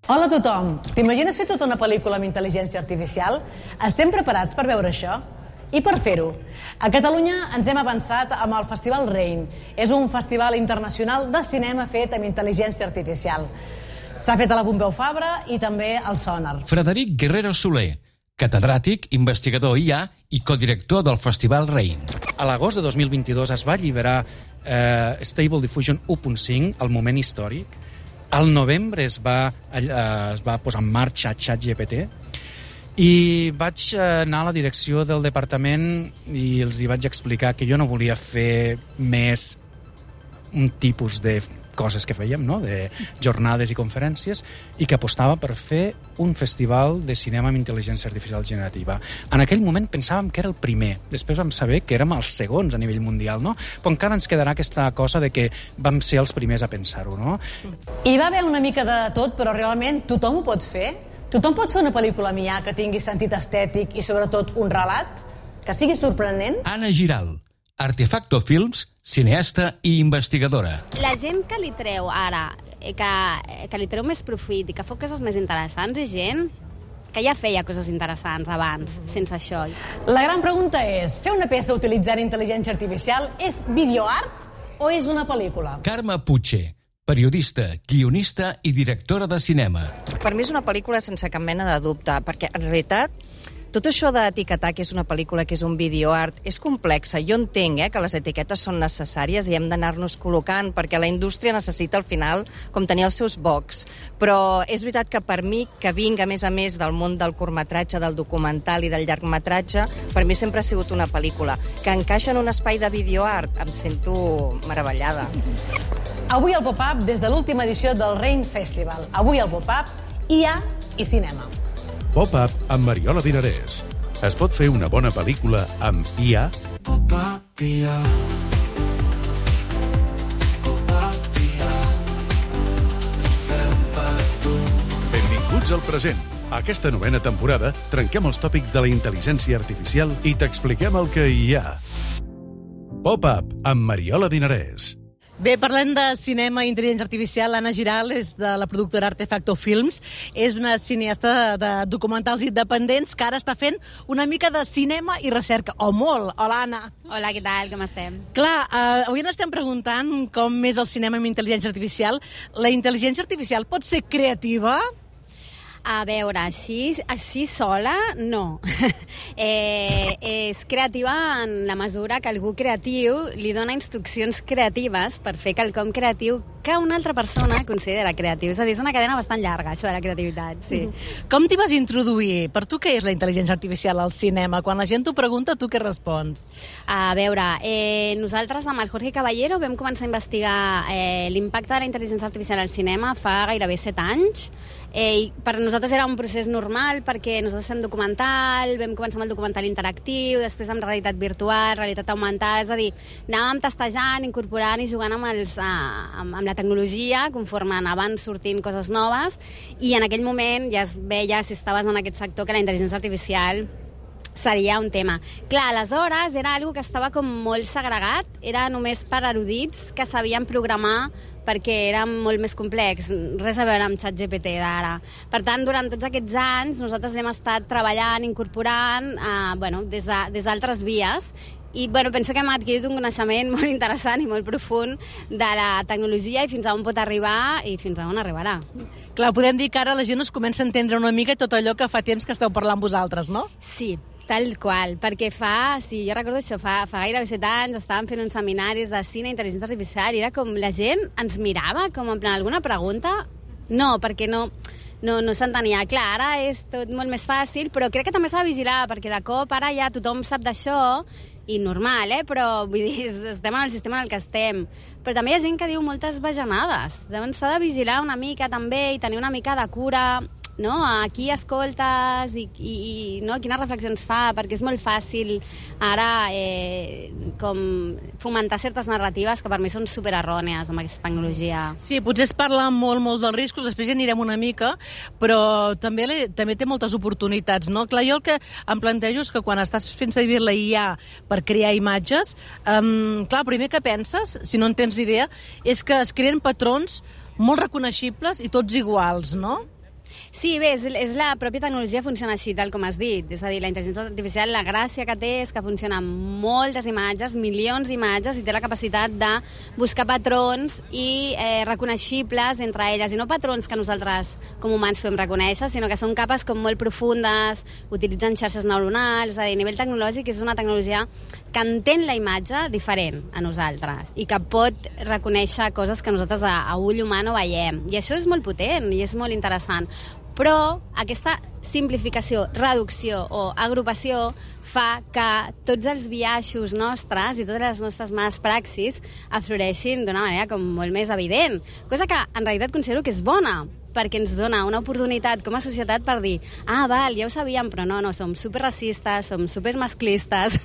Hola a tothom! T'imagines fer tota una pel·lícula amb intel·ligència artificial? Estem preparats per veure això? I per fer-ho, a Catalunya ens hem avançat amb el Festival Rain. És un festival internacional de cinema fet amb intel·ligència artificial. S'ha fet a la Pompeu Fabra i també al Sonar. Frederic Guerrero Soler, catedràtic, investigador IA i codirector del Festival Rain. A l'agost de 2022 es va alliberar Stable Diffusion 1.5, el moment històric. Al novembre es va posar en marxa ChatGPT i vaig anar a la direcció del departament i els hi vaig explicar que jo no volia fer més un tipus de coses que fèiem, no? De jornades i conferències, i que apostava per fer un festival de cinema amb intel·ligència artificial generativa. En aquell moment pensàvem que era el primer, després vam saber que érem els segons a nivell mundial, no? Però encara ens quedarà aquesta cosa de que vam ser els primers a pensar-ho, no? Hi va haver una mica de tot, però realment tothom ho pot fer? Tothom pot fer una pel·lícula amb IA que tingui sentit estètic i sobretot un relat? Que sigui sorprenent? Anna Giral, Artefacto Films, cineasta i investigadora. La gent que li treu ara, que li treu més profit i que fa coses més interessants, és gent que ja feia coses interessants abans, sense això. La gran pregunta és, fer una peça utilitzant intel·ligència artificial és videoart o és una pel·lícula? Carme Puche, periodista, guionista i directora de cinema. Per mi és una pel·lícula sense cap mena de dubte, perquè en realitat tot això d'etiquetar que és una pel·lícula, que és un videoart, és complexa. Jo entenc que les etiquetes són necessàries i hem d'anar-nos col·locant, perquè la indústria necessita al final com tenir els seus bocs. Però és veritat que per mi, que vinc a més del món del curtmetratge, del documental i del llargmetratge, per mi sempre ha sigut una pel·lícula. Que encaixa en un espai de videoart, em sento meravellada. Avui al Pop-Up, des de l'última edició del Rain Festival. Avui al Pop-Up, IA i cinema. Pop-Up amb Mariola Dinarès. Es pot fer una bona pel·lícula amb IA? Pop-Up IA. Pop-Up IA. Fem per tu. Benvinguts al present. A aquesta novena temporada trenquem els tòpics de la intel·ligència artificial i t'expliquem el que hi ha. Pop-Up amb Mariola Dinarès. Bé, parlem de cinema i intel·ligència artificial. Anna Giral és de la productora Artefacto Films. És una cineasta de documentals independents que ara està fent una mica de cinema i recerca. O molt. Hola, Anna. Hola, què tal? Com estem? Clar, avui ens estem preguntant com és el cinema amb intel·ligència artificial. La intel·ligència artificial pot ser creativa? A veure, així sola, no. És creativa en la mesura que algú creatiu li dona instruccions creatives per fer quelcom creatiu que una altra persona considera creatiu. És a dir, és una cadena bastant llarga, això de la creativitat, sí. Com t'hi vas introduir? Per tu què és la intel·ligència artificial al cinema? Quan la gent t'ho pregunta, tu què respons? A veure, nosaltres amb el Jorge Caballero vam començar a investigar l'impacte de la intel·ligència artificial al cinema fa gairebé 7 anys. Per nosaltres era un procés normal perquè nosaltres fem documental, vam començar amb el documental interactiu, després amb realitat virtual, realitat augmentada, és a dir, anàvem testejant, incorporant i jugant amb la tecnologia conforme anaven sortint coses noves, i en aquell moment ja es veia, si estaves en aquest sector, que la intel·ligència artificial seria un tema. Clar, aleshores era algo que estava com molt segregat, era només per erudits que sabien programar perquè era molt més complex, res a veure amb ChatGPT d'ara. Per tant, durant tots aquests anys nosaltres hem estat treballant, incorporant des d'altres vies, i penso que hem adquirit un coneixement molt interessant i molt profund de la tecnologia i fins a on pot arribar i fins a on arribarà. Clar, podem dir que ara la gent us comença a entendre una mica tot allò que fa temps que esteu parlant vosaltres, no? Sí, tal qual, perquè jo recordo això, fa gairebé 7 anys estàvem fent uns seminaris de cine i intel·ligència artificial i era com la gent ens mirava com en plan, alguna pregunta? No, perquè no s'entenia. Clar, ara és tot molt més fàcil, però crec que també s'ha de vigilar, perquè de cop ara ja tothom sap d'això, i normal, però vull dir, estem en el sistema en el que estem. Però també hi ha gent que diu moltes bajanades. Llavors s'ha de vigilar una mica també i tenir una mica de cura, no? A qui escoltes i no? Quines reflexions fa, perquè és molt fàcil ara com fomentar certes narratives que per mi són supererrònies amb aquesta tecnologia. Sí, potser es parla molt dels riscos, després ja anirem una mica, però també té moltes oportunitats, no? Clar, jo el que em plantejo és que quan estàs fent servir la IA per crear imatges, clar, el primer que penses, si no en tens ni idea, és que es creen patrons molt reconeixibles i tots iguals, no? Sí, bé, és la pròpia tecnologia funciona així, tal com has dit. És a dir, la intel·ligència artificial, la gràcia que té és que funciona amb moltes imatges, milions d'imatges, i té la capacitat de buscar patrons i reconeixibles entre elles. I no patrons que nosaltres, com humans, podem reconèixer, sinó que són capes com molt profundes, utilitzen xarxes neuronals. És a dir, a nivell tecnològic és una tecnologia que entén la imatge diferent a nosaltres i que pot reconèixer coses que nosaltres a ull humà no veiem. I això és molt potent i és molt interessant. Però aquesta simplificació, reducció o agrupació fa que tots els biaixos nostres i totes les nostres males praxis afloreixin d'una manera com molt més evident. Cosa que en realitat considero que és bona, perquè ens dona una oportunitat com a societat per dir val, ja ho sabíem, però no, som superracistes, som supermasclistes,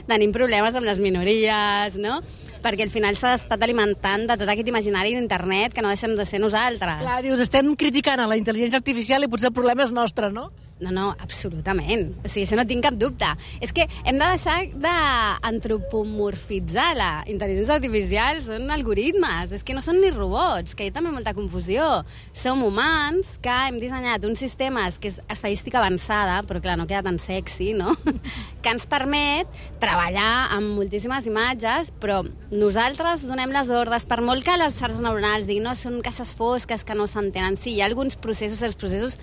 tenim problemes amb les minories, no? Perquè al final s'ha estat alimentant de tot aquest imaginari d'internet que no deixem de ser nosaltres. Clar, dius, estem criticant a la intel·ligència artificial i potser el problema és nostre, no? No, absolutament. O sigui, això no tinc cap dubte. És que hem de deixar d'antropomorfitzar la intel·ligència artificial. Són algoritmes, és que no són ni robots, que hi ha també molta confusió. Som humans que hem dissenyat uns sistemes que és estadística avançada, però clar, no queda tan sexy, no? Que ens permet treballar amb moltíssimes imatges, però nosaltres donem les ordres, per molt que les xarxes neuronals diguin no, són caixes fosques que no s'entenen. Sí, hi ha alguns processos, els processos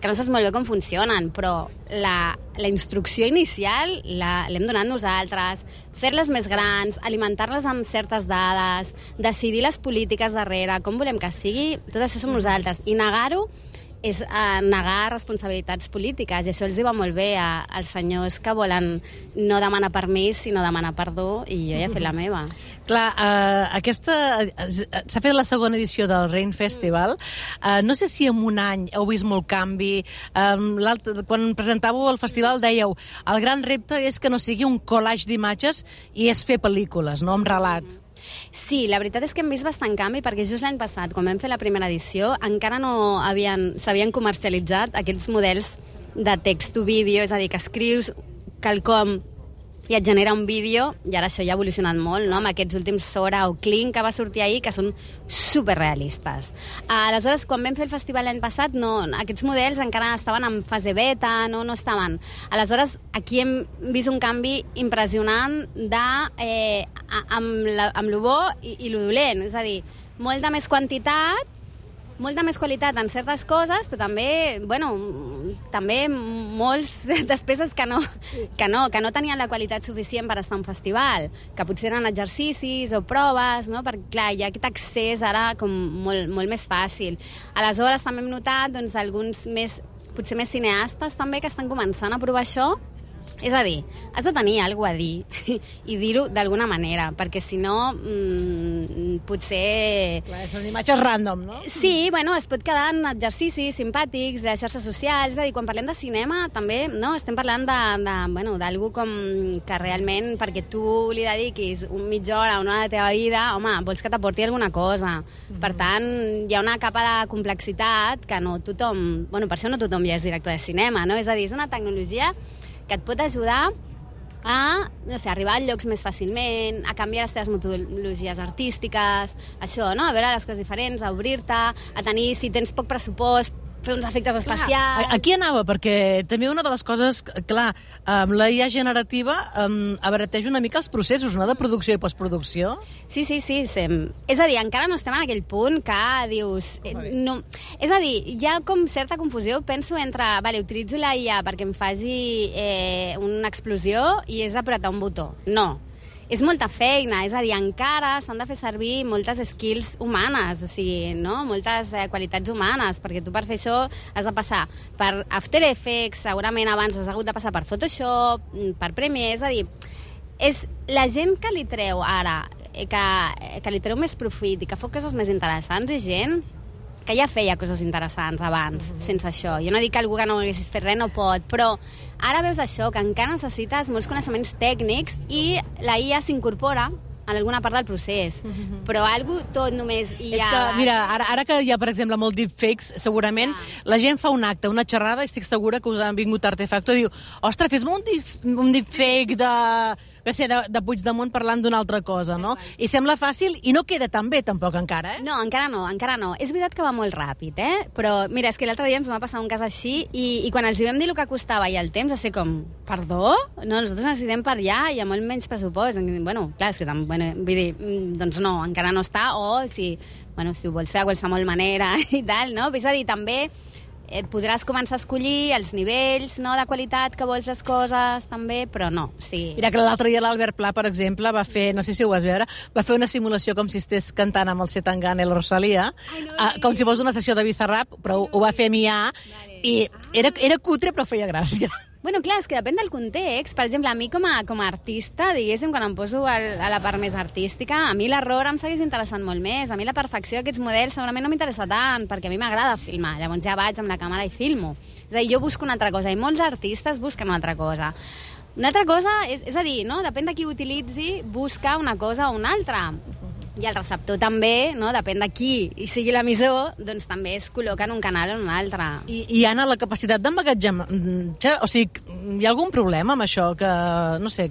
que no saps molt bé com funcionen, però la instrucció inicial l'hem donat nosaltres, fer-les més grans, alimentar-les amb certes dades, decidir les polítiques darrere, com volem que sigui, tot això som nosaltres. I negar-ho és negar responsabilitats polítiques, i això els va molt bé als senyors que volen no demanar permís, sinó demanar perdó, i jo ja he fet la meva. Clar, s'ha fet la segona edició del Rain Festival. No sé si en un any heu vist molt canvi. Quan presentàveu el festival dèieu el gran repte és que no sigui un collage d'imatges i és fer pel·lícules, no amb relat. Sí, la veritat és que hem vist bastant canvi, perquè just l'any passat, quan vam fer la primera edició, encara no s'havien comercialitzat aquests models de text to vídeo, és a dir, que escrius quelcom i et genera un vídeo, i ara això ja ha evolucionat molt, no? Amb aquests últims Sora o Kling que va sortir ahir, que són superrealistes. Aleshores, quan vam fer el festival l'any passat, no, aquests models encara estaven en fase beta, no estaven. Aleshores, aquí hem vist un canvi impressionant amb lo bo i lo dolent, és a dir, molta més quantitat, molta més qualitat en certes coses, però també molts despeses que no tenien la qualitat suficient per estar a un festival, que potser eren exercicis o proves, no? Perquè, clar, hi ha aquest accés ara com molt més fàcil. Aleshores, també hem notat alguns potser més cineastes també que estan començant a provar això. És a dir, has de tenir alguna cosa a dir i dir-ho d'alguna manera, perquè si no, potser... Clar, són imatges random, no? Sí, es pot quedar en exercicis simpàtics, les xarxes socials, és a dir, quan parlem de cinema també, no? Estem parlant d'algú com que realment, perquè tu li dediquis mitja hora o una hora de la teva vida, home, vols que t'aporti alguna cosa. Per tant, hi ha una capa de complexitat que no tothom... per això no tothom ja és director de cinema, no? És a dir, és una tecnologia que et pot ajudar a arribar a llocs més fàcilment, a canviar les teves metodologies artístiques, això, no? A veure les coses diferents, a obrir-te, a tenir, si tens poc pressupost, fer uns efectes especials... Aquí anava, perquè també una de les coses, clar, amb la IA generativa abarateix una mica els processos, no?, de producció i postproducció. Sí. És a dir, encara no estem en aquell punt que dius... No. És a dir, hi ha com certa confusió, penso, entre... utilitzo la IA perquè em faci una explosió i és apretar un botó. No. És molta feina, és a dir, encara s'han de fer servir moltes skills humanes, o sigui, no? Moltes qualitats humanes, perquè tu per fer això has de passar per After Effects, segurament abans has hagut de passar per Photoshop, per Premiere, és a dir, és la gent que li treu ara, que li treu més profit i que fa coses més interessants, és gent que ja feia coses interessants abans, sense això. Jo no dic que algú que no haguessis fet res no pot, però ara veus això, que encara necessites molts coneixements tècnics i la IA s'incorpora en alguna part del procés. Però algú tot només hi ha... És que, mira, ara que hi ha, per exemple, molt deepfakes, segurament la gent fa un acte, una xerrada, i estic segura que us han vingut Artefacto i diu, ostres, fes-me un deepfake que sé, de Puigdemont parlant d'una altra cosa, no? I sembla fàcil i no queda tan bé tampoc encara, eh? No, encara no. És veritat que va molt ràpid, però mira, és que l'altre dia ens va passar un cas així i quan els hi vam dir el que costava i el temps, va ser com, perdó? No, nosaltres necessitem per allà i amb molt menys pressupost. Bueno, clar, és que vull dir, doncs no, encara no està, o si ho vols fer de qualsevol manera i tal, no? És a dir, també podràs començar a escollir els nivells, no, de qualitat que vols les coses, també, però no. Sí. Mira que l'altre dia l'Albert Pla, per exemple, va fer, no sé si ho vas veure, va fer una simulació com si estés cantant amb el Zetangana i la Rosalia, com si fos una sessió de Bizarrap, però ho va fer a Mià, i era cutre però feia gràcia. Bueno, clar, és que depèn del context. Per exemple, a mi com a artista, diguéssim, quan em poso a la part més artística, a mi l'error em segueix interessant molt més. A mi la perfecció d'aquests models segurament no m'interessa tant, perquè a mi m'agrada filmar. Llavors ja vaig amb la càmera i filmo. És a dir, jo busco una altra cosa, i molts artistes busquen una altra cosa. Una altra cosa, és a dir, no? Depèn de qui utilitzi, busca una cosa o una altra. I el receptor també, no? Depèn de qui i sigui l'emissor, doncs també es col·loca en un canal o en un altre. I Anna, la capacitat d'emmagatzematge, o sigui, hi ha algun problema amb això? Que, no sé,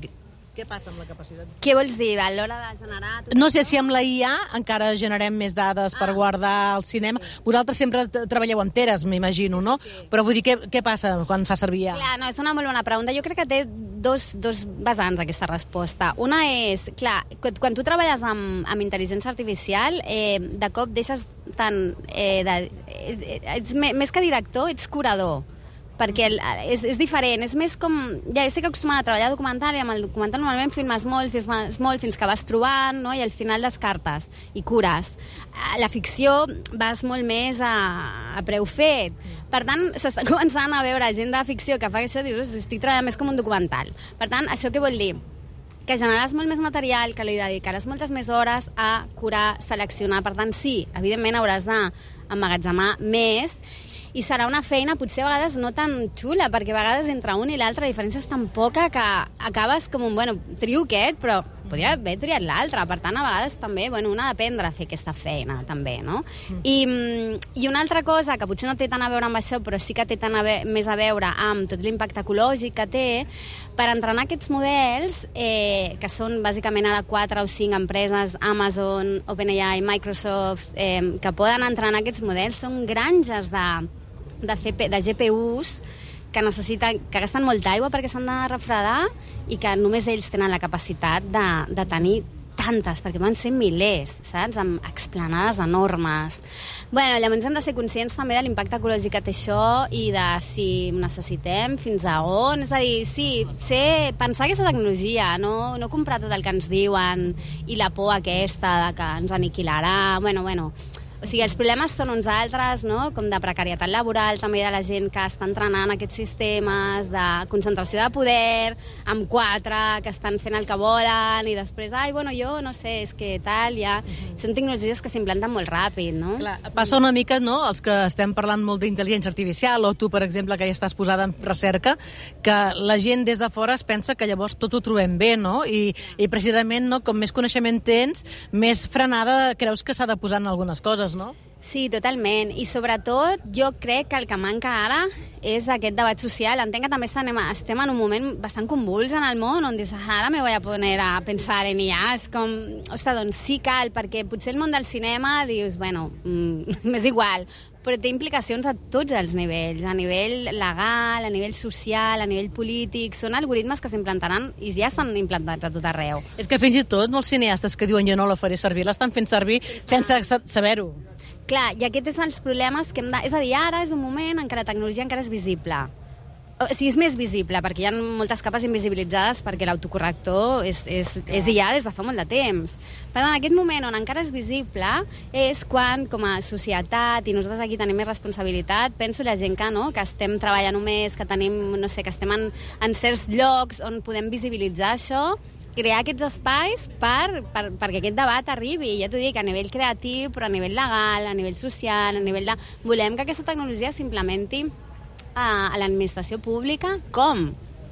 què passa amb la capacitat? Què vols dir? A l'hora de generar... No sé si amb la IA encara generem més dades per guardar el cinema. Vosaltres sempre treballeu amb teres, m'imagino, no? Sí. Però vull dir, què passa quan fa servir IA? Clar, no, és una molt bona pregunta. Jo crec que té dos vessants aquesta resposta. Una és, clar, quan tu treballes amb intel·ligència artificial, de cop deixes tant... més que director, ets curador. Perquè és diferent, és més com... Ja estic acostumada a treballar documental i amb el documental normalment filmes molt fins que vas trobant, no? I al final descartes i cures. La ficció vas molt més a preu fet. Per tant, s'està començant a veure gent de ficció que fa això, dius, estic treballant més com un documental. Per tant, això què vol dir? Que generaràs molt més material, que li dedicaràs moltes més hores a curar, seleccionar. Per tant, sí, evidentment hauràs d'emmagatzemar més, i serà una feina potser a vegades no tan xula, perquè a vegades entre un i l'altre la diferència és tan poca que acabes com un, trio aquest, però podria haver triat l'altre. Per tant, a vegades també, un ha d'aprendre a fer aquesta feina, també, no? I una altra cosa que potser no té tant a veure amb això, però sí que té més a veure amb tot l'impacte ecològic que té, per entrenar aquests models, que són bàsicament ara 4 o 5 empreses, Amazon, OpenAI, Microsoft, que poden entrenar aquests models, són granges de GPUs que gasten molta aigua perquè s'han de refredar i que només ells tenen la capacitat de tenir tantes, perquè van ser milers, saps? Amb explanades enormes. Llavors hem de ser conscients també de l'impacte ecològic que té això i de si necessitem, fins a on. És a dir, sí, pensar aquesta tecnologia, no comprar tot el que ens diuen i la por aquesta de que ens aniquilarà. O sigui, els problemes són uns altres, no? Com de precarietat laboral, també de la gent que està entrenant aquests sistemes, de concentració de poder, amb 4 que estan fent el que volen, i després, jo no sé, és que tal, ja... Són tecnologies que s'implanten molt ràpid, no? Clar, passa una mica, no?, els que estem parlant molt d'intel·ligència artificial, o tu, per exemple, que ja estàs posada en recerca, que la gent des de fora es pensa que llavors tot ho trobem bé, no? I precisament, no, com més coneixement tens, més frenada creus que s'ha de posar en algunes coses, no? Sí, totalment. I sobretot jo crec que el que manca ara és aquest debat social. Entenc que també estem en un moment bastant convuls en el món, on dius, ara me voy a poner a pensar en IA. És com, doncs sí cal, perquè potser el món del cinema dius, m'és igual, però té implicacions a tots els nivells, a nivell legal, a nivell social, a nivell polític. Són algoritmes que s'implantaran i ja estan implantats a tot arreu. És que fins i tot molts cineastes que diuen jo no la faré servir, l'estan fent servir sense saber-ho. Clar, i aquest és els problemes que hem de... És a dir, ara és un moment en què la tecnologia encara és visible. O sigui, és més visible, perquè hi ha moltes capes invisibilitzades perquè l'autocorrector és IA des de fa molt de temps. Per tant, en aquest moment on encara és visible és quan, com a societat, i nosaltres aquí tenim més responsabilitat, penso la gent que estem treballant més, que tenim, no sé, que estem en certs llocs on podem visibilitzar això, crear aquests espais perquè aquest debat arribi, ja t'ho dic, a nivell creatiu, però a nivell legal, a nivell social, a nivell de... Volem que aquesta tecnologia s'implementi a l'administració pública. Com?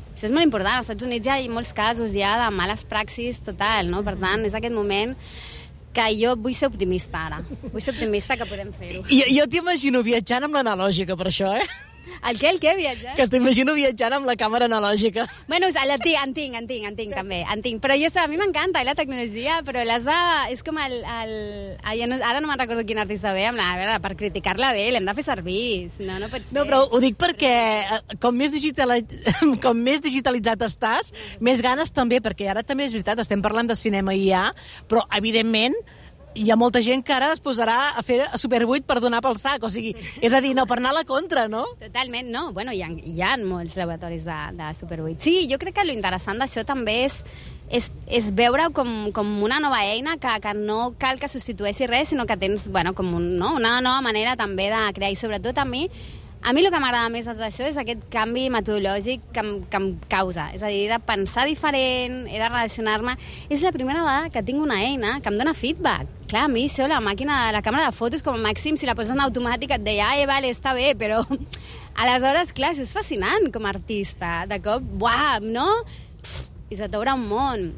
Això és molt important. Als Estats Units hi ha molts casos ja de males praxis total, no? Per tant, és aquest moment que jo vull ser optimista ara. Vull ser optimista que podem fer-ho. Jo t'imagino viatjant amb l'analògica per això, El què, viatjar? Que t'imagino viatjant amb la càmera analògica. Bueno, en tinc, també. En tinc. Però a mi m'encanta la tecnologia, però l'has de... És com ara no me'n recordo quin artista ve, a veure, per criticar-la bé, l'hem de fer servir. No pot ser. No, però ho dic perquè com més digitalitzat estàs, més ganes també, perquè ara també és veritat, estem parlant de cinema i però evidentment hi ha molta gent que ara es posarà a fer Super 8 per donar pel sac, o sigui, és a dir, no, per anar a la contra, no? Totalment, no. Bueno, hi ha molts laboratoris de Super 8. Sí, jo crec que l'interessant d'això també és veure com una nova eina que no cal que substitueixi res, sinó que tens, bueno, com una nova manera també de crear, i sobretot a mi el que m'agrada més de tot això és aquest canvi metodològic que em causa. És a dir, de pensar diferent, he de relacionar-me. És la primera vegada que tinc una eina que em dona feedback. Clar, a mi això, la càmera de fotos, com a màxim, si la poses en automàtic et deia, vale, està bé, però aleshores, clar, això és fascinant com a artista. De cop, uau, no? I se t'obre un món.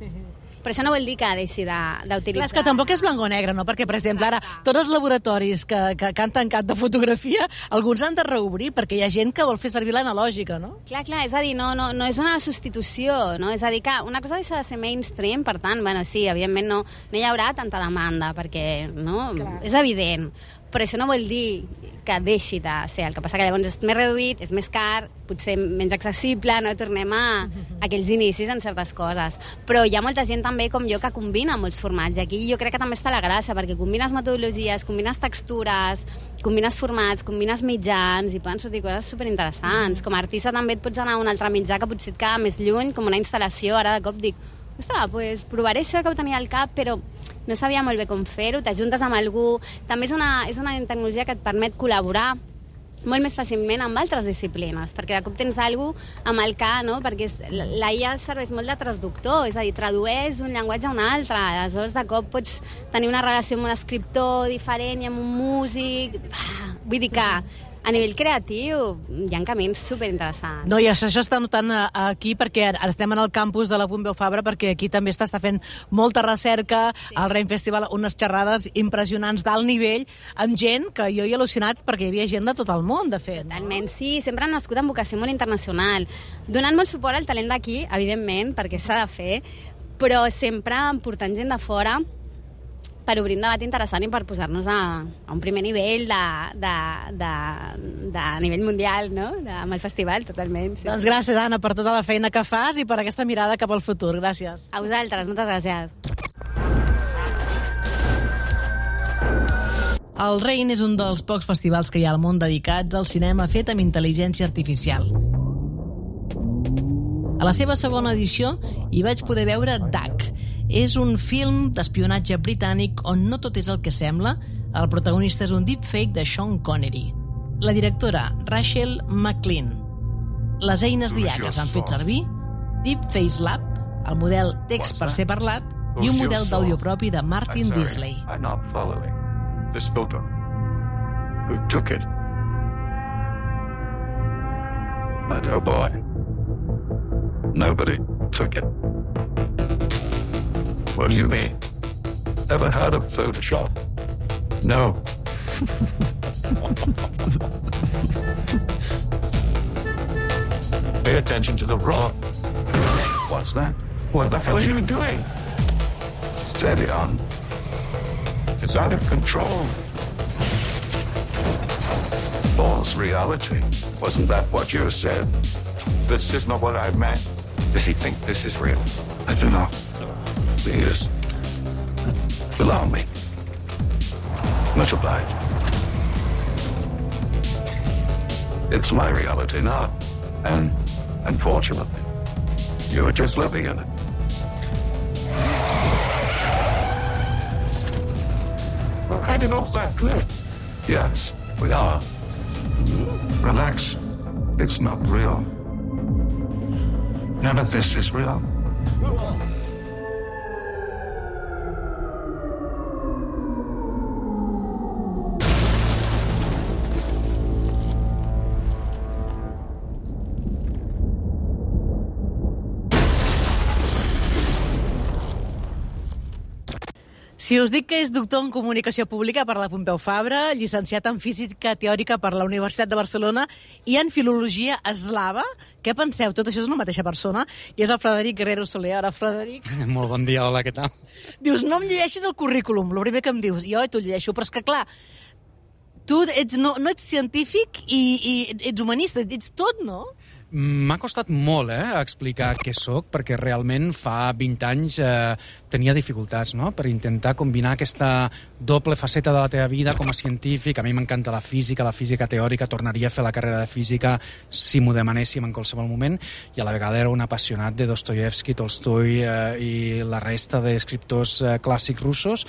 Però això no vol dir que deixi d'utilitzar... Clar, és que tampoc és blanc o negre, no? Perquè, per exemple, ara, tots els laboratoris que han tancat de fotografia, alguns han de reobrir, perquè hi ha gent que vol fer servir l'analògica, no? Clar, és a dir, no és una substitució, no? És a dir, que una cosa deixa de ser mainstream, per tant, bueno, sí, evidentment no hi haurà tanta demanda, perquè, no? Clar. És evident. Però això no vol dir que deixi de ser. El que passa que llavors és més reduït, és més car, potser menys accessible, no? Tornem a aquells inicis en certes coses. Però hi ha molta gent també com jo que combina molts formats, i aquí jo crec que també està la gràcia, perquè combines metodologies, combines textures, combines formats, combines mitjans, i poden sortir coses superinteressants. Com a artista també et pots anar a un altre mitjà que potser et queda més lluny, com una instal·lació. Ara de cop dic, ostres, pues provaré això que ho tenia al cap, però no sabia molt bé com fer-ho, t'ajuntes amb algú. També és una tecnologia que et permet col·laborar molt més fàcilment amb altres disciplines, perquè de cop tens algú amb el que, no? Perquè la IA serveix molt de traductor, és a dir, tradueix d'un llenguatge a un altre, aleshores de cop pots tenir una relació amb un escriptor diferent i amb un músic. Vull dir que a nivell creatiu hi ha camins superinteressants. No, i això està notant aquí, perquè ara estem en el campus de la Pompeu Fabra, perquè aquí també està fent molta recerca, al Rain Festival, unes xerrades impressionants d'alt nivell, amb gent que jo he al·lucinat, perquè hi havia gent de tot el món, de fet. Totalment, sí, sempre han nascut amb vocació molt internacional, donant molt suport al talent d'aquí, evidentment, perquè s'ha de fer, però sempre portant gent de fora per obrir un debat interessant i per posar-nos a un primer nivell de nivell mundial, no? Amb el festival, totalment. Sí. Doncs gràcies, Anna, per tota la feina que fas i per aquesta mirada cap al futur. Gràcies. A vosaltres, moltes gràcies. El Rain és un dels pocs festivals que hi ha al món dedicats al cinema fet amb intel·ligència artificial. A la seva segona edició hi vaig poder veure Duck. És un film d'espionatge britànic on no tot és el que sembla. El protagonista és un deepfake de Sean Connery. La directora, Rachel McLean. Les eines d'IA que s'han fet servir, Deepface Lab, el model text per ser parlat, i un model d'àudio propi de Martin Disley. I'm not following. This photo. Who took it? My dear boy. Nobody took it. What do you mean? Ever heard of Photoshop? No. Pay attention to the rock. What's that? What the hell are you doing? Steady on. It's out of control. False reality. Wasn't that what you said? This is not what I meant. Does he think this is real? I don't know. Please. Allow me. Much obliged. It's my reality now. And unfortunately, you're just living in it. We're heading off that cliff. Yes, we are. Relax. It's not real. None of this is real. Si us dic que és doctor en Comunicació Pública per la Pompeu Fabra, llicenciat en Física Teòrica per la Universitat de Barcelona i en Filologia Eslava, què penseu? Tot això és una mateixa persona i és el Frederic Guerrero Soler. Ara, Frederic... Molt bon dia, hola, què tal? Dius, no em llegeixis el currículum, el primer que em dius. Jo t'ho llegeixo, però és que clar, tu no ets científic i ets humanista, ets tot, no? M'ha costat molt explicar què sóc, perquè realment fa 20 anys tenia dificultats, no?, per intentar combinar aquesta doble faceta de la teva vida com a científic. A mi m'encanta la física teòrica, tornaria a fer la carrera de física si m'ho demanéssim en qualsevol moment, i a la vegada era un apassionat de Dostoyevsky, Tolstoi i la resta d'escriptors clàssics russos,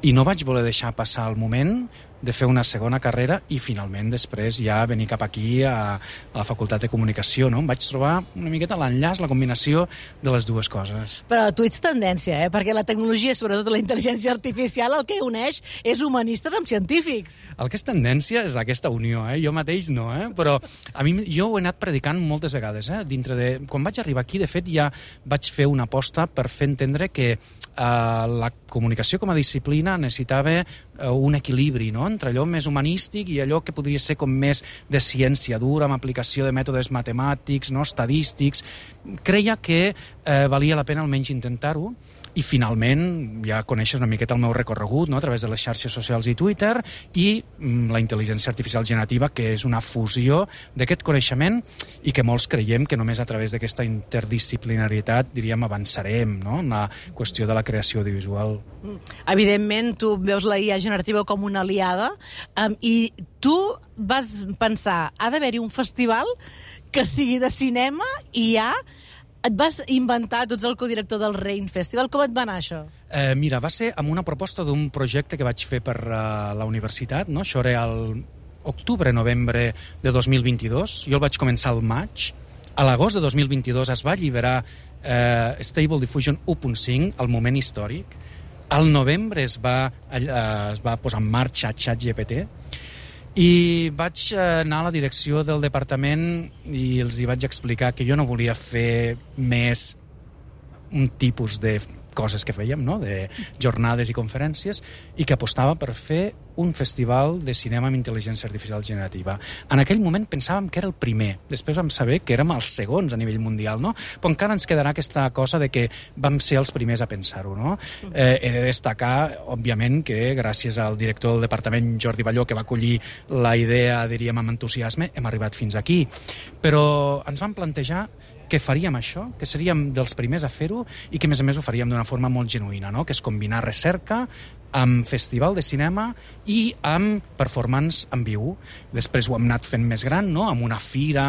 i no vaig voler deixar passar el moment de fer una segona carrera i finalment després ja venir cap aquí a la Facultat de Comunicació, no? Em vaig trobar una miqueta l'enllaç, la combinació de les dues coses. Però tu ets tendència, perquè la tecnologia, sobretot la intel·ligència artificial, el que uneix és humanistes amb científics. El que és tendència és aquesta unió, jo mateix no, però a mi jo ho he anat predicant moltes vegades, dintre de... Quan vaig arribar aquí, de fet, ja vaig fer una aposta per fer entendre que la comunicació com a disciplina necessitava un equilibri, no?, entre allò més humanístic i allò que podria ser com més de ciència dura, amb aplicació de mètodes matemàtics, no, estadístics. Creia que valia la pena almenys intentar-ho, i finalment ja coneixes una miqueta el meu recorregut, no?, a través de les xarxes socials i Twitter, i la intel·ligència artificial generativa, que és una fusió d'aquest coneixement i que molts creiem que només a través d'aquesta interdisciplinarietat, diríem, avançarem, no?, en la qüestió de la creació audiovisual. Evidentment, tu veus la IA generativa com una aliada, i tu vas pensar, ha d'haver-hi un festival que sigui de cinema i ja et vas inventar, tu ets el codirector del Rain Festival. Com et va anar això? Mira, va ser amb una proposta d'un projecte que vaig fer per la universitat, no? Això era el octubre-novembre de 2022. Jo el vaig començar al maig. A l'agost de 2022 es va alliberar Stable Diffusion 1.5, el moment històric. Al novembre es va posar en marxa ChatGPT, i vaig anar a la direcció del departament i els hi vaig explicar que jo no volia fer més un tipus de coses que fèiem, no?, de jornades i conferències, i que apostava per fer un festival de cinema amb intel·ligència artificial generativa. En aquell moment pensàvem que era el primer, després vam saber que érem els segons a nivell mundial, no? Però encara ens quedarà aquesta cosa de que vam ser els primers a pensar-ho, no? He de destacar, òbviament, que gràcies al director del departament, Jordi Balló, que va acollir la idea, diríem, amb entusiasme, hem arribat fins aquí. Però ens vam plantejar que faríem això, que seríem dels primers a fer-ho i que, a més, ho faríem d'una forma molt genuïna, no?, que és combinar recerca amb festival de cinema i amb performance en viu. Després ho hem anat fent més gran, no?, amb una fira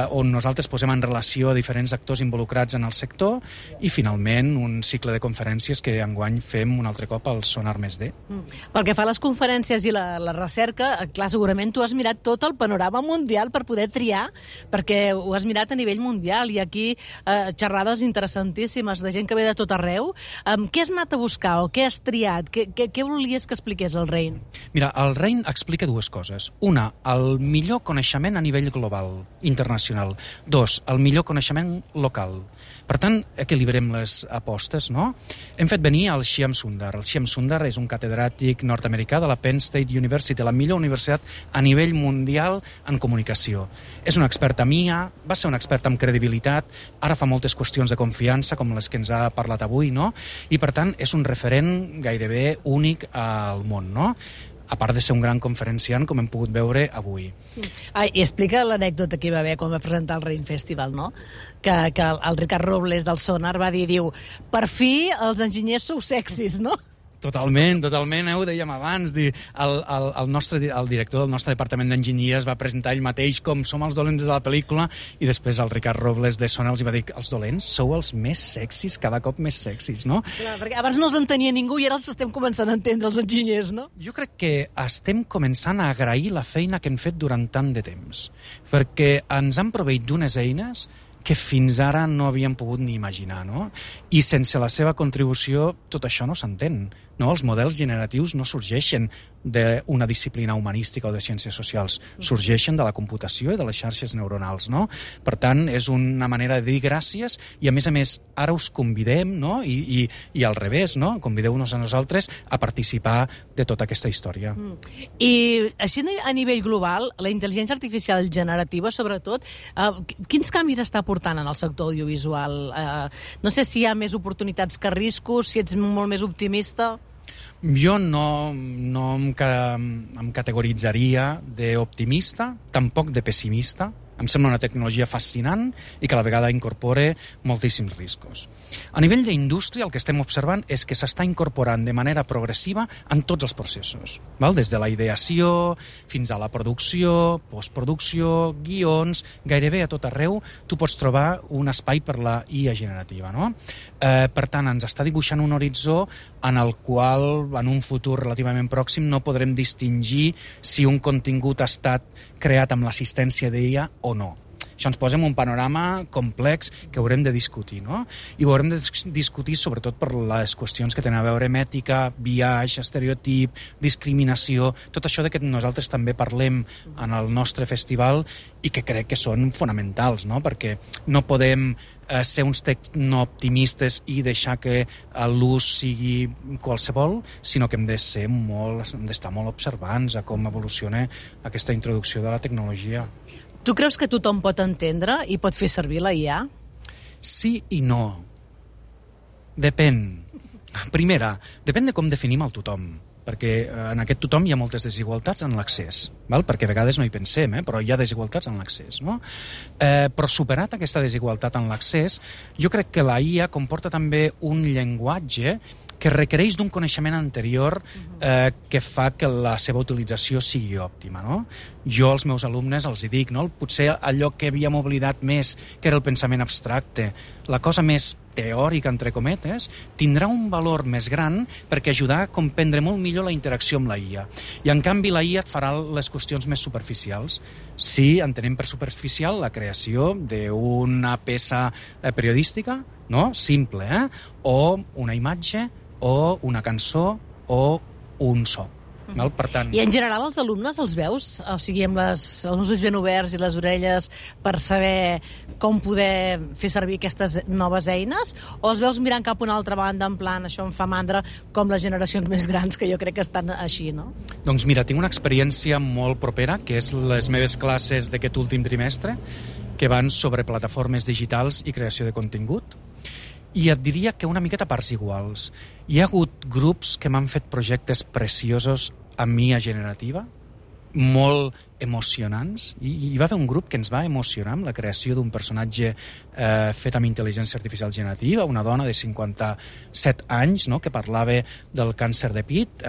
on nosaltres posem en relació a diferents actors involucrats en el sector, i finalment un cicle de conferències que enguany fem un altre cop al Sonar Més D. Pel que fa a les conferències i la recerca, clar, segurament tu has mirat tot el panorama mundial per poder triar, perquè ho has mirat a nivell mundial, i aquí xerrades interessantíssimes de gent que ve de tot arreu. Què has anat a buscar o què has triat? Què volies que expliqués el Rain? Mira, el Rain explica dues coses. Una, el millor coneixement a nivell global, internacional. Dos, el millor coneixement local. Per tant, equilibrem les apostes, no? Hem fet venir el Shyam Sundar. El Shyam Sundar és un catedràtic nord-americà de la Penn State University, la millor universitat a nivell mundial en comunicació. És un expert en IA, va ser un expert en credibilitat, ara fa moltes qüestions de confiança, com les que ens ha parlat avui, no? I, per tant, és un referent gairebé únic al món, no?, a part de ser un gran conferenciant, com hem pogut veure avui. I explica l'anècdota que hi va haver quan va presentar el Rain Festival, no?, que el Ricard Robles del Sonar va dir, per fi els enginyers sou sexis, no? Totalment, ho dèiem abans. El director del nostre departament d'enginyeries va presentar ell mateix com som els dolents de la pel·lícula, i després el Ricard Robles de Sonar els va dir, els dolents sou els més sexis, cada cop més sexis, no? Clar, perquè abans no els entenia ningú i ara els estem començant a entendre, els enginyers, no? Jo crec que estem començant a agrair la feina que hem fet durant tant de temps, perquè ens han proveït d'unes eines que fins ara no havíem pogut ni imaginar, no? I sense la seva contribució tot això no s'entén. no? Els models generatius no sorgeixen d'una disciplina humanística o de ciències socials, sorgeixen de la computació i de les xarxes neuronals, no? Per tant, és una manera de dir gràcies i, a més, ara us convidem, no? I al revés, no? Convideu-nos a nosaltres a participar de tota aquesta història. I així a nivell global, la intel·ligència artificial generativa, sobretot, quins canvis està portant en el sector audiovisual? No sé si hi ha més oportunitats que riscos, si ets molt més optimista. Jo no em categoritzaria d'optimista, tampoc de pessimista. Em sembla una tecnologia fascinant i que a la vegada incorpora moltíssims riscos. A nivell d'indústria, el que estem observant és que s'està incorporant de manera progressiva en tots els processos, val? Des de la ideació fins a la producció, postproducció, guions, gairebé a tot arreu tu pots trobar un espai per la IA generativa, no? Per tant, ens està dibuixant un horitzó en el qual, en un futur relativament pròxim, no podrem distingir si un contingut ha estat creat amb l'assistència d'IA o no. Això ens posa en un panorama complex que haurem de discutir, no? I ho haurem de discutir sobretot per les qüestions que tenen a veure amb ètica, biaix, estereotip, discriminació, tot això de que nosaltres també parlem en el nostre festival i que crec que són fonamentals, no? Perquè no podem ser uns tecnooptimistes i deixar que l'ús sigui qualsevol, sinó que hem d'estar molt observants a com evoluciona aquesta introducció de la tecnologia. Tu creus que tothom pot entendre i pot fer servir la IA? Sí i no. Depèn. Primera, depèn de com definim el tothom, perquè en aquest tothom hi ha moltes desigualtats en l'accés, val? Perquè a vegades no hi pensem, però hi ha desigualtats en l'accés, no? Però superat aquesta desigualtat en l'accés, jo crec que la IA comporta també un llenguatge que requereix d'un coneixement anterior que fa que la seva utilització sigui òptima, no? Jo als meus alumnes els hi dic, no? Potser allò que havíem oblidat més, que era el pensament abstracte, la cosa més teòrica, entre cometes, tindrà un valor més gran perquè ajudarà a comprendre molt millor la interacció amb la IA. I, en canvi, la IA et farà les qüestions més superficials. Si entenem per superficial la creació d'una peça periodística, no? Simple, o una imatge, o una cançó, o un so. Per tant... I en general els alumnes els veus? O sigui, amb els ulls ben oberts i les orelles per saber com poder fer servir aquestes noves eines? O els veus mirant cap a una altra banda, en plan, això em fa mandra, com les generacions més grans, que jo crec que estan així, no? Doncs mira, tinc una experiència molt propera, que és les meves classes d'aquest últim trimestre, que van sobre plataformes digitals i creació de contingut. I et diria que una miqueta parts iguals. Hi ha hagut grups que m'han fet projectes preciosos amb IA generativa, molt emocionants. Hi va haver un grup que ens va emocionar amb la creació d'un personatge fet amb intel·ligència artificial generativa, una dona de 57 anys, no?, que parlava del càncer de pit,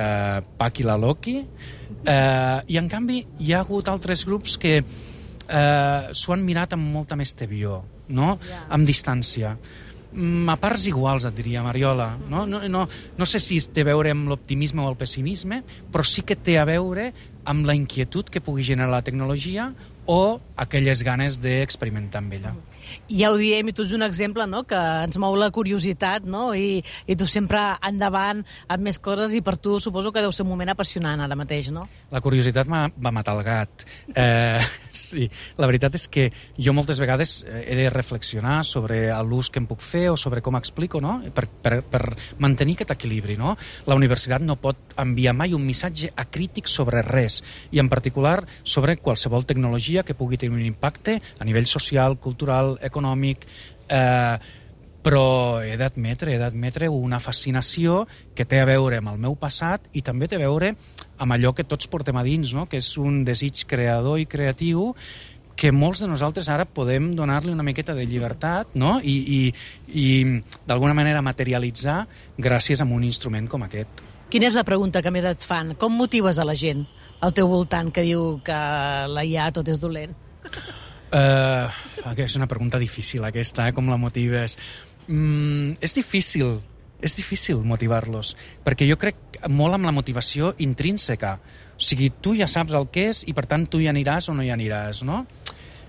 Paqui la Loki, i en canvi hi ha hagut altres grups que s'ho han mirat amb molta més tebior, no?, amb distància. A parts iguals, et diria, Mariola. No sé si té a veure amb l'optimisme o el pessimisme, però sí que té a veure amb la inquietud que pugui generar la tecnologia o aquelles ganes d'experimentar amb ella. Ja ho diem, i tu ets un exemple, no?, que ens mou la curiositat, no?, i tu sempre endavant amb més coses, i per tu suposo que deu ser un moment apassionant ara mateix, no? La curiositat va matar el gat. Sí, la veritat és que jo moltes vegades he de reflexionar sobre l'ús que em puc fer o sobre com explico, no?, per mantenir aquest equilibri, no? La universitat no pot enviar mai un missatge acrític sobre res, i en particular sobre qualsevol tecnologia que pugui tenir un impacte a nivell social, cultural, econòmic, però he d'admetre una fascinació que té a veure amb el meu passat i també té a veure amb allò que tots portem a dins, no?, que és un desig creador i creatiu que molts de nosaltres ara podem donar-li una miqueta de llibertat, no?, i d'alguna manera materialitzar gràcies a un instrument com aquest. Quina és la pregunta que més et fan? Com motives a la gent al teu voltant que diu que la IA tot és dolent? És una pregunta difícil aquesta, com la motives? És difícil motivar-los, perquè jo crec molt amb la motivació intrínseca. O sigui, tu ja saps el que és i per tant tu hi aniràs o no hi aniràs, no?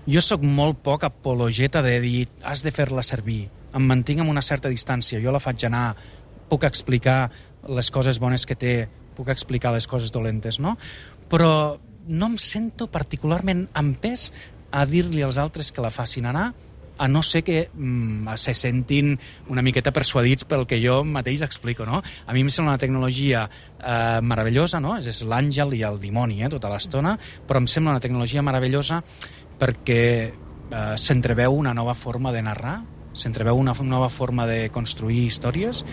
Jo sóc molt poc apologeta de dir has de fer-la servir. Em mantinc amb una certa distància, jo la faig anar, puc explicar les coses bones que té, puc explicar les coses dolentes, no? Però no em sento particularment empès a dir-li als altres que la facin anar, a no ser que se sentin una miqueta persuadits pel que jo mateix explico, no? A mi em sembla una tecnologia meravellosa, no? És l'àngel i el dimoni, tota l'estona, però em sembla una tecnologia meravellosa perquè s'entreveu una nova forma de narrar, s'entreveu una nova forma de construir històries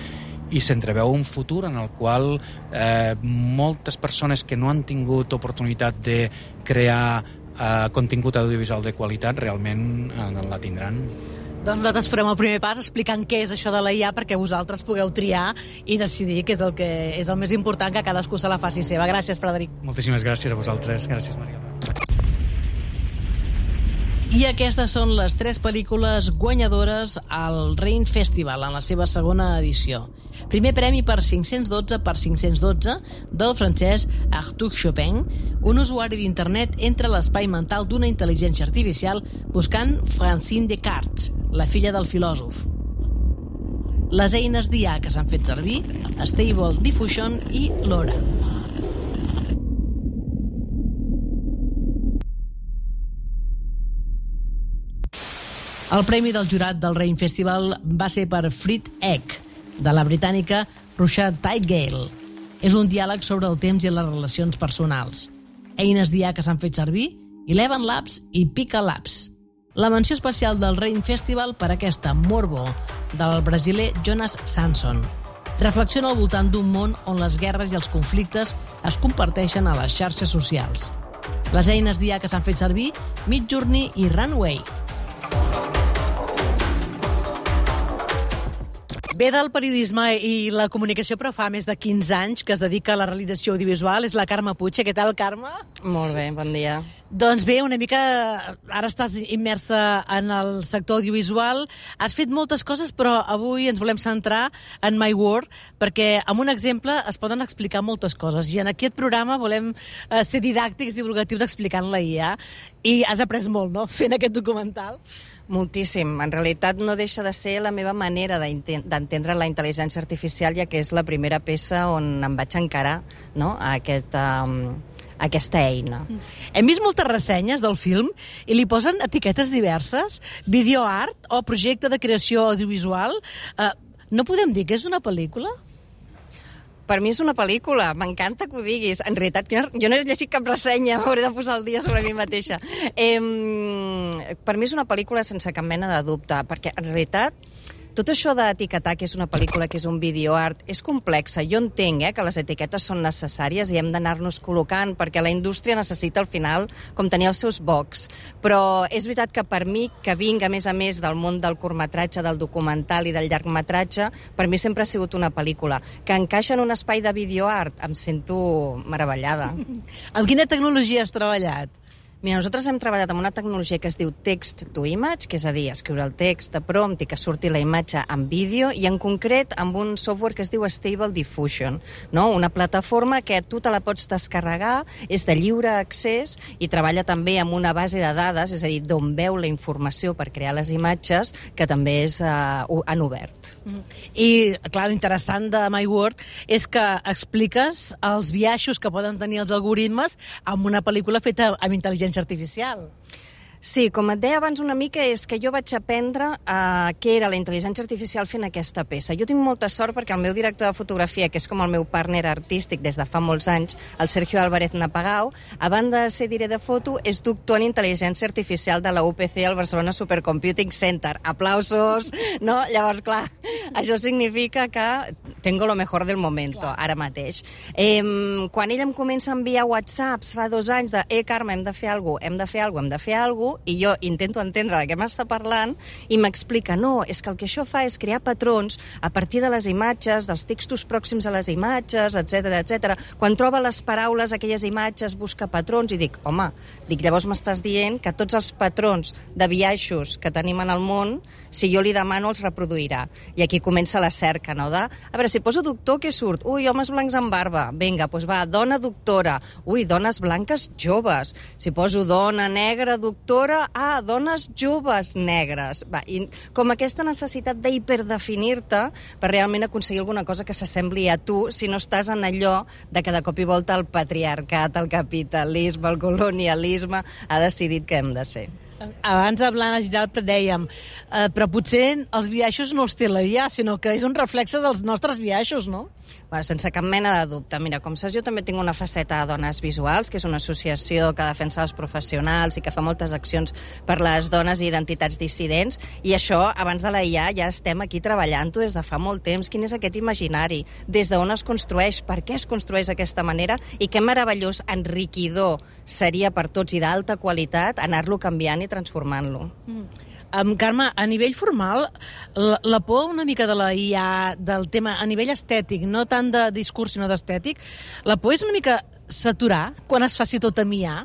i s'entreveu un futur en el qual moltes persones que no han tingut oportunitat de crear contingut audiovisual de qualitat realment la tindran. Doncs nosaltres farem el primer pas explicant què és això de la IA perquè vosaltres pugueu triar i decidir què és el que és el més important, que cadascú se la faci seva. Gràcies, Frederic. Moltíssimes gràcies a vosaltres. Gràcies, Mariola. I aquestes són les 3 pel·lícules guanyadores al Rain Festival en la seva segona edició. Primer premi per 512x512 del francès Arthur Chopin, un usuari d'internet entra a l'espai mental d'una intel·ligència artificial buscant Francine Descartes, la filla del filòsof. Les eines d'IA que s'han fet servir, Stable Diffusion i LoRa. El premi del jurat del Rain Festival va ser per Fried Egg, de la britànica Rucha Tigale. És un diàleg sobre el temps i les relacions personals. Eines d'IA que s'han fet servir, Eleven Labs i Pika Labs. La menció especial del Rain Festival per aquesta Morbo, del brasiler Jonas Sanson. Reflexiona al voltant d'un món on les guerres i els conflictes es comparteixen a les xarxes socials. Les eines d'IA que s'han fet servir, Midjourney i Runway. Ve del periodisme i la comunicació, però fa més de 15 anys que es dedica a la realització audiovisual. És la Carme Puig. Què tal, Carme? Molt bé, bon dia. Doncs bé, una mica... Ara estàs immersa en el sector audiovisual. Has fet moltes coses, però avui ens volem centrar en My World, perquè amb un exemple es poden explicar moltes coses. I en aquest programa volem ser didàctics i divulgatius explicant la IA. I has après molt, no?, fent aquest documental. Moltíssim. En realitat no deixa de ser la meva manera d'entendre la intel·ligència artificial, ja que és la primera peça on em vaig encarar, no?, a aquesta eina. Hem vist moltes ressenyes del film i li posen etiquetes diverses, videoart o projecte de creació audiovisual. No podem dir que és una pel·lícula? Per mi és una pel·lícula, m'encanta que ho diguis. En realitat, jo no he llegit cap ressenya, m'hauré de posar el dia sobre mi mateixa. Per mi és una pel·lícula sense cap mena de dubte, perquè en realitat tot això d'etiquetar que és una pel·lícula, que és un videoart, és complexa. Jo entenc que les etiquetes són necessàries i hem d'anar-nos col·locant, perquè la indústria necessita al final com tenir els seus bocs. Però és veritat que per mi, que vinc a més del món del curtmetratge, del documental i del llargmetratge, per mi sempre ha sigut una pel·lícula. Que encaixa en un espai de videoart, em sento meravellada. Amb quina tecnologia has treballat? Mira, nosaltres hem treballat amb una tecnologia que es diu text to image, que és a dir, escriure el text de prompt i que surti la imatge en vídeo, i en concret amb un software que es diu Stable Diffusion, no? Una plataforma que tu te la pots descarregar, és de lliure accés i treballa també amb una base de dades, és a dir, d'on veu la informació per crear les imatges, que també és en obert. I, clar, l'interessant de My World és que expliques els biaixos que poden tenir els algoritmes amb una pel·lícula feta amb intel·ligència artificial. Sí, com et deia abans una mica, és que jo vaig aprendre què era la intel·ligència artificial fent aquesta peça. Jo tinc molta sort perquè el meu director de fotografia, que és com el meu partner artístic des de fa molts anys, el Sergio Álvarez Napagau, a banda de ser director de foto, és doctor en intel·ligència artificial de la UPC, al Barcelona Supercomputing Center. Aplausos, no? Llavors, clar, això significa que tengo lo mejor del momento, ara mateix. Quan ell em comença a enviar whatsapps fa 2 anys de Carme, hem de fer alguna cosa, i jo intento entendre de què m'està parlant i m'explica, no, és que el que això fa és crear patrons a partir de les imatges, dels textos pròxims a les imatges, etc. Quan troba les paraules, aquelles imatges, busca patrons, i dic, home, llavors m'estàs dient que tots els patrons de biaixos que tenim en el món, si jo li demano, els reproduirà. I aquí comença la cerca, no? A veure, si poso doctor, què surt? Ui, homes blancs amb barba. Vinga, doncs va, dona doctora. Ui, dones blanques joves. Si poso dona negra doctora, dones joves negres. Va, i com aquesta necessitat d'hiperdefinir-te per realment aconseguir alguna cosa que s'assembli a tu, si no estàs en allò de que de cop i volta el patriarcat, el capitalisme, el colonialisme ha decidit que hem de ser. Abans amb l'Anna Giralt dèiem, però potser els biaixos no els té la IA, sinó que és un reflexe dels nostres biaixos, no? Bueno, sense cap mena de dubte. Mira, com saps, jo també tinc una faceta de Dones Visuals, que és una associació que defensa els professionals i que fa moltes accions per les dones i identitats dissidents, i això, abans de la IA, ja estem aquí treballant-ho des de fa molt temps. Quin és aquest imaginari? Des d'on es construeix? Per què es construeix d'aquesta manera? I que meravellós, enriquidor seria per tots i d'alta qualitat anar-lo canviant i transformant-lo. Carme, a nivell formal, la por una mica de la IA, del tema a nivell estètic, no tant de discurs sinó d'estètic, la por és una mica saturar quan es faci tot amb IA?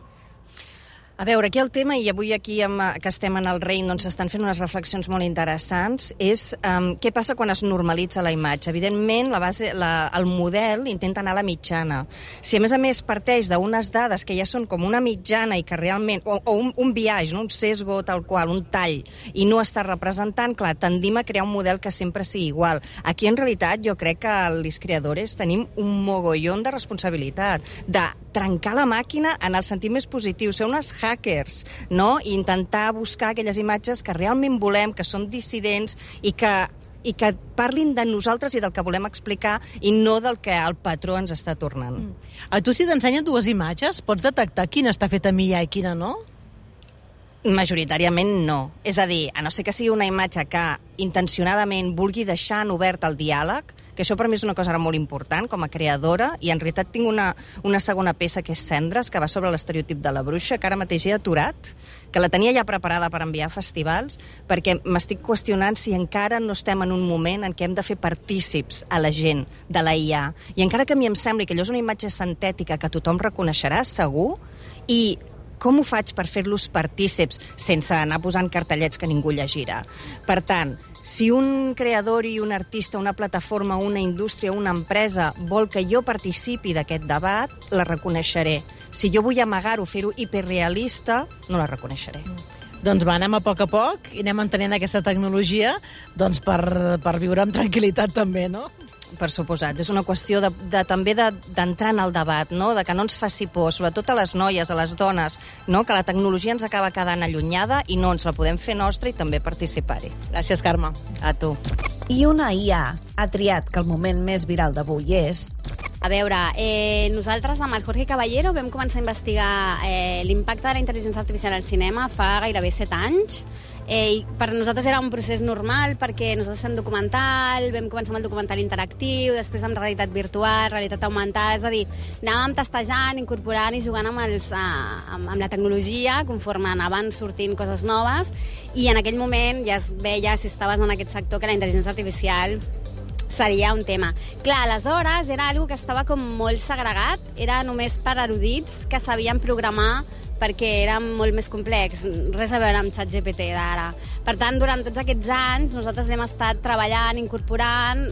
A veure, aquí el tema, i avui aquí que estem en el Rein, doncs s'estan fent unes reflexions molt interessants, és què passa quan es normalitza la imatge. Evidentment, el model intenta anar a la mitjana. Si a més parteix d'unes dades que ja són com una mitjana i que realment, o un biaix, no? Un sesgo tal qual, un tall, i no està representant, clar, tendim a crear un model que sempre sigui igual. Aquí, en realitat, jo crec que els creadors tenim un mogollon de responsabilitat, de trencar la màquina en el sentit més positiu, ser unes hackers, no? I intentar buscar aquelles imatges que realment volem, que són dissidents i que parlin de nosaltres i del que volem explicar i no del que el patró ens està tornant. A tu, si t'ensenyen dues imatges, pots detectar quina està feta amb IA i quina no? Majoritàriament no. És a dir, a no ser que sigui una imatge que intencionadament vulgui deixar en obert el diàleg, que això per mi és una cosa molt important com a creadora, i en realitat tinc una segona peça que és Cendres, que va sobre l'estereotip de la bruixa, que ara mateix he aturat, que la tenia ja preparada per enviar a festivals, perquè m'estic qüestionant si encara no estem en un moment en què hem de fer partícips a la gent de la IA. I encara que a mi em sembli que allò és una imatge sintètica que tothom reconeixerà, segur, i com ho faig per fer-los partícips sense anar posant cartellets que ningú llegirà? Per tant, si un creador i un artista, una plataforma, una indústria, una empresa vol que jo participi d'aquest debat, la reconeixeré. Si jo vull amagar-ho, fer-ho hiperrealista, no la reconeixeré. Doncs va, anem a poc i anem entenent aquesta tecnologia doncs per viure amb tranquil·litat també, no? Per suposat. És una qüestió també d'entrar en el debat, no? De que no ens faci por, sobretot a les noies, a les dones, no? Que la tecnologia ens acaba quedant allunyada i no ens la podem fer nostra i també participar-hi. Gràcies, Carme. A tu. I una IA ha triat que el moment més viral d'avui és... A veure, nosaltres amb el Jorge Caballero vam començar a investigar l'impacte de la intel·ligència artificial al cinema fa gairebé 7 anys. I per nosaltres era un procés normal perquè nosaltres fem documental, vam començar amb el documental interactiu, després amb realitat virtual, realitat augmentada, és a dir, anàvem testejant, incorporant i jugant amb la tecnologia conforme anaven sortint coses noves, i en aquell moment ja es veia, si estaves en aquest sector, que la intel·ligència artificial seria un tema. Clar, aleshores era algo que estava com molt segregat, era només per erudits que sabien programar perquè era molt més complex, res a veure amb ChatGPT d'ara. Per tant, durant tots aquests anys nosaltres hem estat treballant, incorporant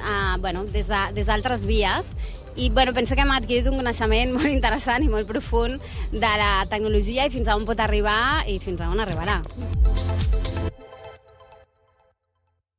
des d'altres vies, i penso que hem adquirit un coneixement molt interessant i molt profund de la tecnologia i fins a on pot arribar i fins a on arribarà.